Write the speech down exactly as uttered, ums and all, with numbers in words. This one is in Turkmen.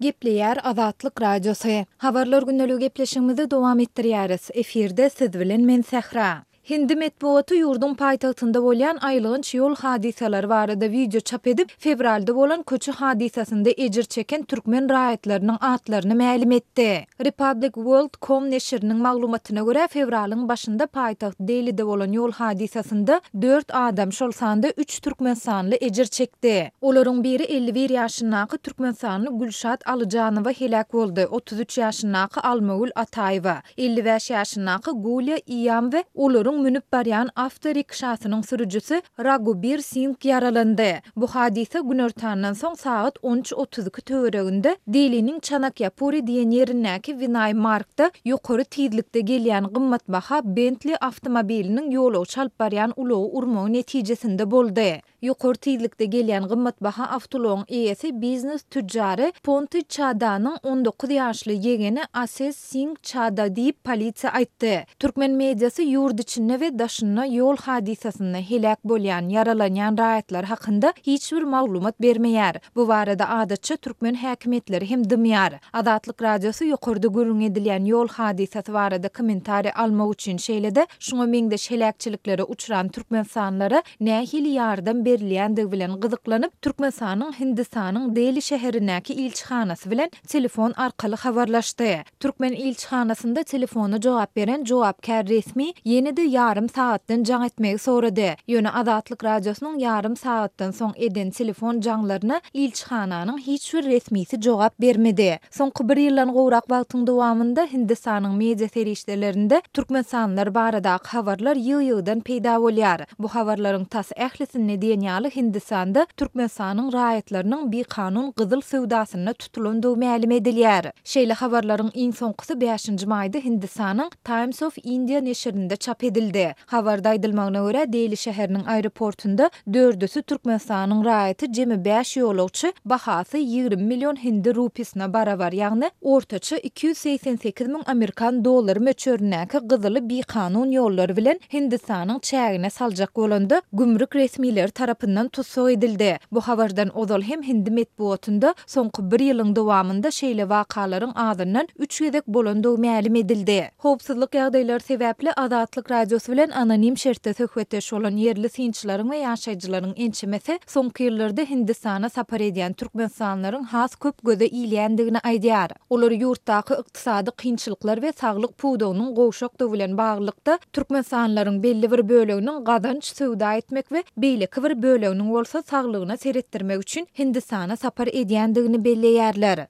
Gepleýär Azatlyk Radiosy. Habarlar gündeligi gepleşigimizi dowam etdirýäris. Efirde siz bilen men Sähra. Hindi metbugaty ýurduň paýtagtynda bolýan aýylganç ýol hadysalary barada wideo çap edip, fewralda bolan köçe hadysasynda ejir çeken türkmen raýatlarynyň atlaryny mälim etdi. Republic World com neşiriniň maglumatyna görä, fewralyň başynda paýtagt Delide bolan ýol hadysasynda dört adam, şol sanda üç türkmenistanly ejir çekdi. Olaryň biri elli bir ýaşyndaky türkmenistanly Gülşat Alyjanowa heläk boldy, otuz üç ýaşyndaky Almagül Ataýewa, elli bäş ýaşyndaky Gulýa Iýam we olaryň münüp barýan awtorikşasynyň sürüjisi Ragubir Singh ýaralandy. Bu hadysa günortandan soň sagat on üç otuz iki töwereginde Deliniň Çanakýapuri diýen ýerindäki Winaý Markda ýokary tizlikde gelýän gymmatbaha Bentley awtomobiliniň ýolagçy alyp barýan ulagy urmagy netijesinde boldy. Ýokary tizlikde gelýän gymmatbaha awtoulagyň eýesi biznes tüjjary Ponti Çadanyň on dokuz ýaşly ýegeni Ases Singh Çada diýip, polisiýa aýtdy. Türkmen mediasy ýurt içinde we daşynda ýol hadysasynda heläk bolýan, ýaralanýan raýatlar hakynda hiç bir maglumat bermeýär. Bu barada adatça türkmen häkimiýetleri hem dymýar. Azatlyk Radiosy ýokarda gürrüň edilýän ýol hadysasy barada kommentariý almak üçin şeýle-de şuňa meňzeş heläkçiliklere uçran türkmenistanlylara nähili ýardam berilýändigi bilen gyzyklanyp, Türkmenistanyň Hindistanyň Deli şäherindäki ilçihanasy bilen telefon arkaly habarlaşdy. Türkmen ilçihanasynda telefona jogap beren jogapkär resmi ýene-de ýarym sagatdan jaň etmegi sorady. Ýöne Azatlyk Radiosynyň ýarym sagatdan soň eden telefon jaňlaryna ilçihananyň hiç bir resmisi jogap bermedi. Soňky bir ýyldan gowrak wagtyň dowamynda Hindistanyň media serişdelerinde türkmenistanlylar baradaky habarlar ýygy-ýygydan peýda bolýar. Bu habarlaryň tas ählisinde diýen ýaly Hindistanda Türkmenistanyň raýatlarynyň bikanun gyzyl söwdasynda tutulandygy mälim edilýär. Şeýle habarlaryň iň soňkusy bäşinji maýda Hindistanyň Times of India neşirinde çap edildi. Habarda aýdylmagyna görä, Deli şäheriniň aeroportunda dördüsi Türkmenistanyň raýaty jemi bäş ýolagçy bahasy ýigrimi million hindi rupisine barabar, ýagny ortaça iki ýüz segsen sekiz müň amerikan dollary möçberindäki gyzyly bikanun ýollar bilen Hindistanyň çägine saljak bolanda gümrük resmileri tarapyndan tussag edildi. Bu habardan ozal hem hindi metbugatynda soňky bir ýylyň dowamynda şeýle wakalaryň azyndan üç gezek bolandygy mälim edildi. Howpsuzlyk ýagdaýlary sebäpli Azatlyk Radiosy bilen anonim şertde söhbetdeş bolan ýerli synçylaryň we ýaşaýjylaryň ençemesi soňky ýyllarda Hindistana sapar edýän türkmenistanlylaryň has köp göze ilýändigini aýdýar. Olar ýurtdaky ykdysady kynçylyklar we saglyk pudagynyň gowşakdygy bilen baglylykda türkmenistanlylaryň belli bir böleginiň gazanç söwda etmek we beýleki bir böleginiň bolsa saglygyna seretdirmek üçin Hindistana sapar edýändigini belleýärler.